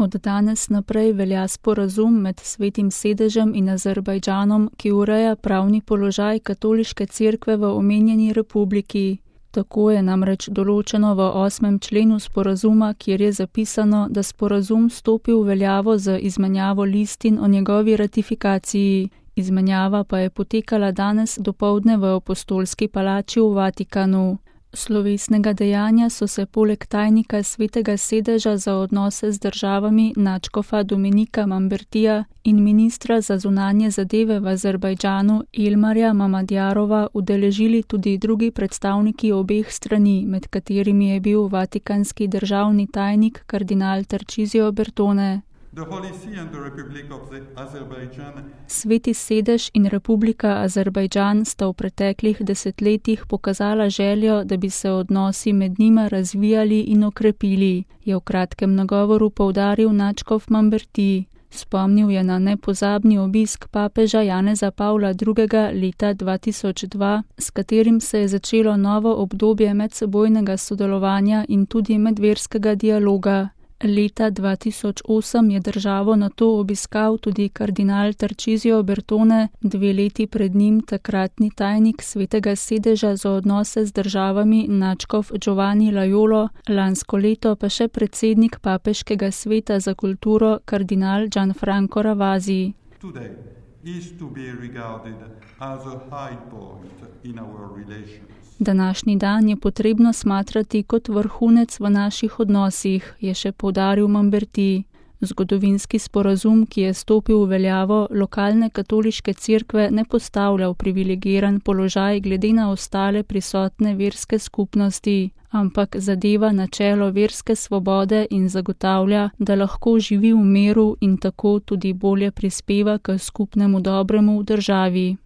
Od danes naprej velja sporazum med Svetim sedežem in Azerbajdžanom, ki ureja pravni položaj katoliške cerkve v omenjeni republiki. Tako je namreč določeno v 8. členu sporazuma, kjer je zapisano, da sporazum stopi v veljavo z izmenjavo listin o njegovi ratifikaciji. Izmenjava pa je potekala danes dopoldne v Apostolski palači v Vatikanu. Slovesnega dejanja so se poleg tajnika Svetega sedeža za odnose z državami nadškofa Dominika Mambertija in ministra za zunanje zadeve v Azerbajdžanu Ilmarja Mamadjarova udeležili tudi drugi predstavniki obeh strani, med katerimi je bil vatikanski državni tajnik kardinal Tarcisio Bertone. Sveti sedež in Republika Azerbajdžan sta v preteklih desetletjih pokazala željo, da bi se odnosi med njima razvijali in okrepili, je v kratkem nagovoru poudaril nadškof Mamberti. Spomnil je na nepozabni obisk papeža Janeza Pavla II. Leta 2002, s katerim se je začelo novo obdobje medsebojnega sodelovanja in tudi medverskega dialoga. Leta 2008 je državo nato obiskal tudi kardinal Tarcisio Bertone, 2 leti pred njim takratni tajnik Svetega sedeža za odnose z državami nadškof Giovanni Laiolo, lansko leto pa še predsednik papeškega sveta za kulturo kardinal Gianfranco Ravasi. Današnji dan je potrebno smatrati kot vrhunec v naših odnosih, je še poudaril Mamberti. Zgodovinski sporazum, ki je stopil v veljavo, lokalne katoliške cerkve ne postavlja v privilegiran položaj glede na ostale prisotne verske skupnosti, ampak zadeva načelo verske svobode in zagotavlja, da lahko živi v miru in tako tudi bolje prispeva k skupnemu dobremu v državi.